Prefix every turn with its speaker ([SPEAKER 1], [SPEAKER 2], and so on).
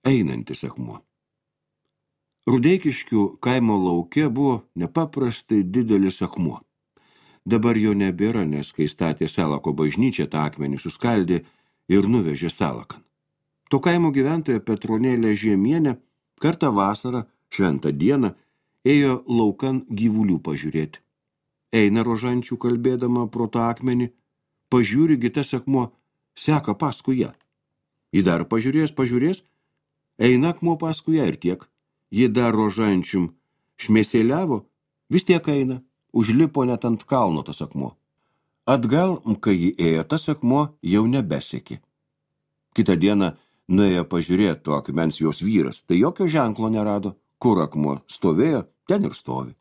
[SPEAKER 1] Einantis akmuo. Rudeikiškių kaimo lauke buvo nepaprastai didelis akmuo. Dabar jo nebėra, nes kai statė Salako bažnyčią, tą akmenį suskaldė ir nuvežė Salakan. To kaimo gyventoja Petronėlė Žiemienė kartą vasarą, šventą dieną, ėjo laukan gyvulių pažiūrėti. Eina rožančių kalbėdama pro tą akmenį, pažiūri, tas akmuo seka paskui ją. Ji dar pažiūrės, eina akmuo paskui ją ir tiek. Ji dar rožančium šmėsėliavo, vis tiek eina, užlipo net ant kalno tas akmuo. Atgal, kai ji ėjo, tas akmuo jau nebesekė. Kitą dieną nuėjo pažiūrėti to akmens jos vyras, tai jokio ženklo nerado, kur akmuo stovėjo, ten ir stovi.